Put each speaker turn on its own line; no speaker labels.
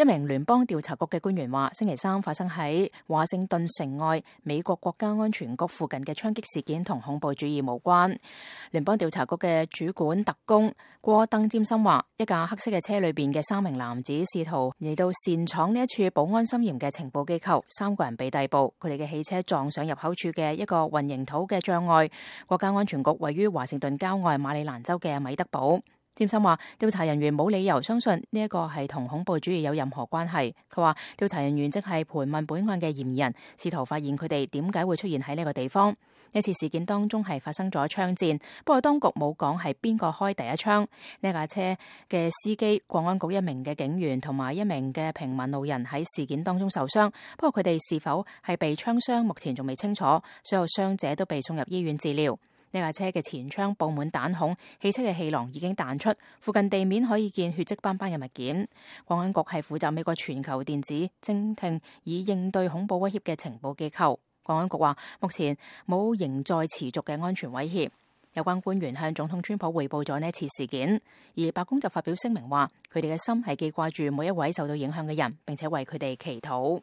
一名聯邦調查局嘅官員話，星期三發生喺華盛頓城外美國國家安全局附近嘅槍擊事件同恐怖主義無關。聯邦調查局嘅主管特工戈登詹森話，一架黑色嘅車裏邊嘅3名男子試圖嚟到擅闖呢一處保安森嚴嘅情報機構，3個人被逮捕。佢哋嘅汽車撞上入口處嘅一個混凝土嘅障礙。國家安全局位於華盛頓郊外馬里蘭州嘅米德堡。詹森話，調查人員冇理由相信呢一個係同恐怖主義有任何關係。佢話，調查人員即係盤問本案嘅嫌疑人，試圖發現佢哋點解會出現喺呢個地方。呢次事件當中係發生咗槍戰，不過當局冇講係邊個開第一槍。呢架車嘅司機、國安局一名嘅警員同埋一名嘅平民路人喺事件當中受傷，不過佢哋是否係被槍傷，目前仲未清楚。所有傷者都被送入醫院治療。呢架車嘅前窗布滿彈孔，汽車嘅氣囊已經彈出，附近地面可以見血跡斑斑嘅物件。國安局係負責美國全球電子偵聽以應對恐怖威脅嘅情報機構。國安局話，目前冇仍在持續嘅安全威脅。有關官員向總統川普匯報咗呢次事件，而白宮就發表聲明話，佢哋嘅心係記掛住每一位受到影響嘅人，並且為佢哋祈禱。